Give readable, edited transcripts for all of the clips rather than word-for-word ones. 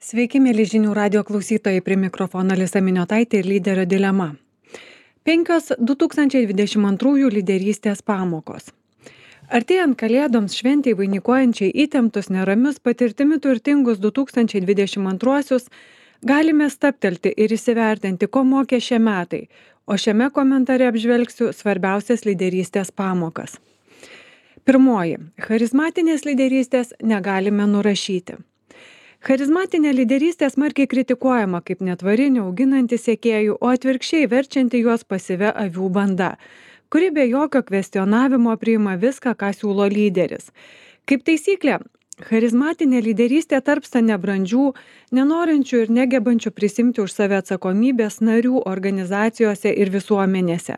Sveiki, mėly žinių radio klausytojai, prie mikrofono Alisa Miniotaitė ir lyderio dilema. 5 2022 lyderystės pamokos. Artėjant kalėdoms šventei vainikuojančiai įtemptus, neramius, patirtimi turtingus 2022 galime stabtelti ir įsivertinti, ko mokė šie metai, o šiame komentare apžvelgsiu svarbiausias lyderystės pamokas. Pirmoji. Charizmatinės lyderystės negalime nurašyti. Charizmatinė lyderystė smarkiai kritikuojama kaip netvari, neauginanti sekėjų, o atvirkščiai verčianti juos pasyvia avių banda, kuri be jokio kvestionavimo priima viską, ką siūlo lyderis. Kaip taisyklė, charizmatinė lyderystė tarpsta nebrandžių, nenorinčių ir negebančių prisimti už save atsakomybės narių organizacijose ir visuomenėse.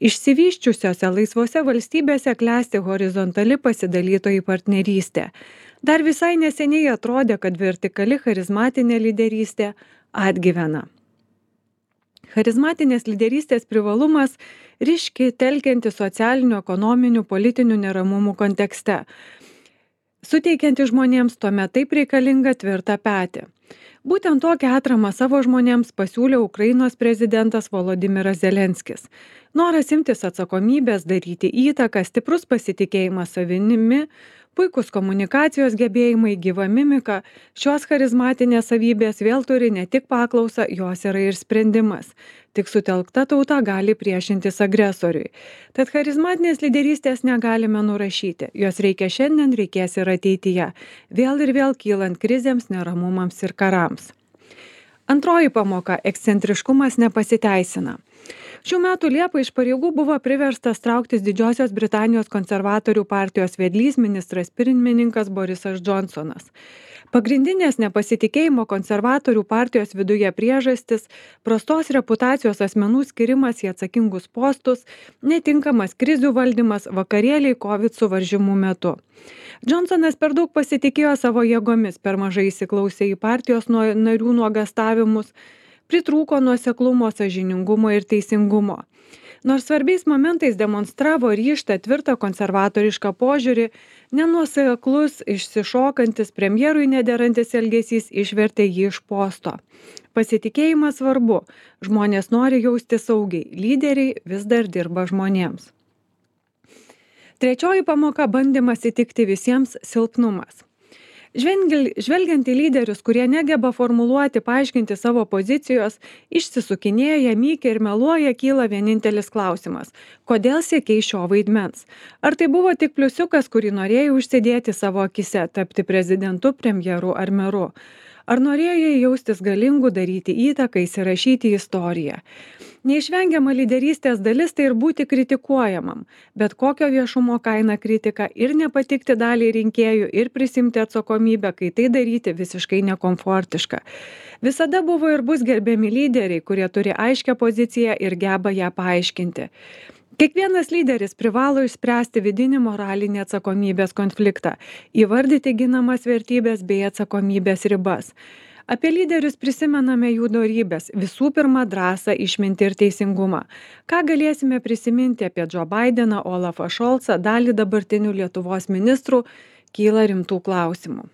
Išsivysčiusiose laisvose valstybėse klesti horizontali pasidalytojų partnerystė. Dar visai neseniai atrodė, kad vertikali charizmatinė lyderystė atgyvena. Charizmatinės lyderystės privalumas ryški telkianti socialinių, ekonominių, politinių neramumų kontekste, suteikianti žmonėms tuomet taip reikalingą tvirtą petį. Būtent tokią atramą savo žmonėms pasiūlė Ukrainos prezidentas Volodymyras Zelenskis. Noras imtis atsakomybės, daryti įtaką, stiprus pasitikėjimas savimi, puikus komunikacijos gebėjimai, gyva mimika, šios charizmatinės savybės vėl turi ne tik paklausą, jos yra ir sprendimas. Tik sutelkta tauta gali priešintis agresoriui. Tad charizmatinės lyderystės negalime nurašyti. Jos reikia šiandien, reikės ir ateityje. Vėl ir vėl kylant krizėms, neramumams ir karams. Antroji pamoka – ekscentriškumas nepasiteisina. Šių metų Liepą iš pareigų buvo priverstas trauktis Didžiosios Britanijos konservatorių partijos vedlys ministras pirmininkas Borisas Džonsonas. Pagrindinės nepasitikėjimo konservatorių partijos viduje priežastis – prastos reputacijos asmenų skirimas į atsakingus postus, netinkamas krizių valdymas, vakarėliai COVID suvaržymų metu. Džonsonas per daug pasitikėjo savo jėgomis, per mažai įsiklausė į partijos narių nuogastavimus, pritrūko nuoseklumo, sąžiningumo ir teisingumo. Nors svarbiais momentais demonstravo ryžtą, tvirtą konservatorišką požiūrį, nenuoseklus, išsišokantis, premjerui nederantis elgesys išvertė jį iš posto. Pasitikėjimas svarbu, žmonės nori jausti saugiai, lyderiai vis dar dirba žmonėms. Trečioji pamoka – bandymas įtikti visiems silpnumas. Žvelgiant į lyderius, kurie negeba formuluoti, paaiškinti savo pozicijos, išsisukinėja, mykia ir meluoja, kyla vienintelis klausimas – kodėl siekei šio vaidmens? Ar tai buvo tik pliusiukas, kurį norėjai užsidėti savo akise, tapti prezidentu, premjeru ar meru? Ar norėjai jaustis galingu, daryti įtaką, įsirašyti į istoriją? Neišvengiama lyderystės dalis tai ir būti kritikuojamam, bet kokio viešumo kaina kritika ir nepatikti daliai rinkėjų ir prisimti atsakomybę, kai tai daryti visiškai nekomfortiška. Visada buvo ir bus gerbiami lyderiai, kurie turi aiškią poziciją ir geba ją paaiškinti. Kiekvienas lyderis privalo išspręsti vidinį moralinį atsakomybės konfliktą, įvardyti ginamas vertybės bei atsakomybės ribas. Apie lyderius prisimename jų dorybes, visų pirma drąsą, išmintį ir teisingumą. Ką galėsime prisiminti apie Joe Bideną, Olafą Scholzą, dalį dabartinių Lietuvos ministrų, kyla rimtų klausimų.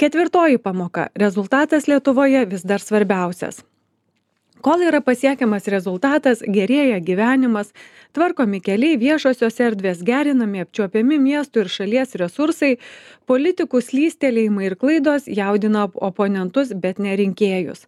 Ketvirtoji pamoka – rezultatas Lietuvoje vis dar svarbiausias. Kol yra pasiekiamas rezultatas, gerėja gyvenimas, tvarkomi keliai, viešosios erdvės, gerinami apčiuopiami miestų ir šalies resursai, politikų slystelėjimai ir klaidos jaudina oponentus, bet ne rinkėjus.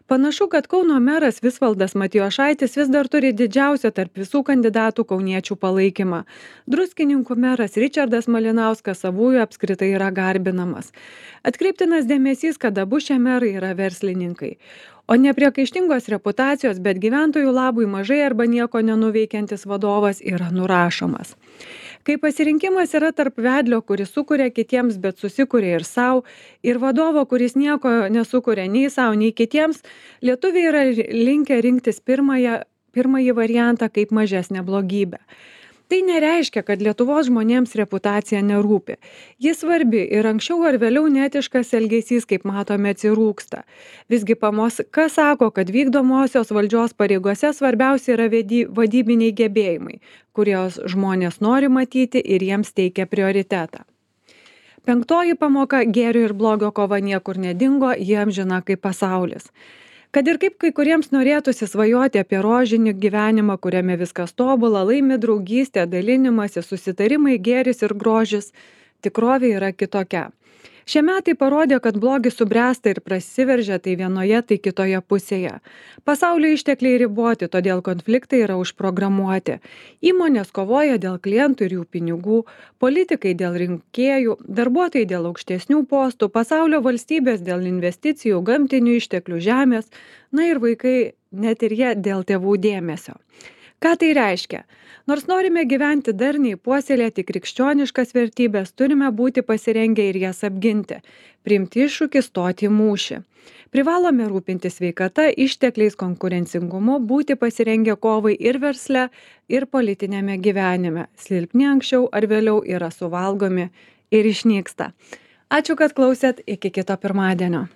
Panašu, kad Kauno meras Visvaldas Matijošaitis vis dar turi didžiausią tarp visų kandidatų kauniečių palaikymą. Druskininkų meras Ričardas Malinauskas savųjų apskritai yra garbinamas. Atkreiptinas dėmesys, kad abu šie merai yra verslininkai. O nepriekaištingos reputacijos, bet gyventojų labui mažai arba nieko nenuveikiantis vadovas yra nurašomas. Kai pasirinkimas yra tarp vedlio, kuris sukuria kitiems, bet susikuria ir savo, ir vadovo, kuris nieko nesukuria nei savo, nei kitiems, lietuviai yra linkę rinktis pirmąjį variantą kaip mažesnę blogybę. Tai nereiškia, kad Lietuvos žmonėms reputacija nerūpi. Jis svarbi ir anksčiau ar vėliau neetiškas elgesys, kaip matome, atsirūksta. Visgi kas sako, kad vykdomosios valdžios pareigose svarbiausia yra vadybiniai gebėjimai, kurios žmonės nori matyti ir jiems teikia prioritetą. Penktoji pamoka - gėrio ir blogio kova niekur nedingo, jie amžina kaip pasaulis. Kad ir kaip kai kuriems norėtųsi svajoti apie rožinį gyvenimą, kuriame viskas tobula, laimi draugystė, dalinimasi, susitarimai, gėris ir grožis, tikrovė yra kitokia. Šie metai parodė, kad blogis subręsta ir prasiveržia tai vienoje, tai kitoje pusėje. Pasaulio ištekliai riboti, todėl konfliktai yra užprogramuoti. Įmonės kovoja dėl klientų ir jų pinigų, politikai dėl rinkėjų, darbuotojai dėl aukštesnių postų, pasaulio valstybės dėl investicijų, gamtinių išteklių, žemės, na ir vaikai, net ir jie dėl tėvų dėmesio. Ką tai reiškia? Nors norime gyventi darniai, puoselėti krikščioniškas vertybės, turime būti pasirengę ir jas apginti, priimti iššūkį, stoti į mūšį. Privalome rūpintis sveikata, ištekliais, konkurencingumu, būti pasirengę kovai ir versle, ir politinėme gyvenime. Silpni anksčiau ar vėliau yra suvalgomi ir išnyksta. Ačiū, kad klausėt, iki kito pirmadienio.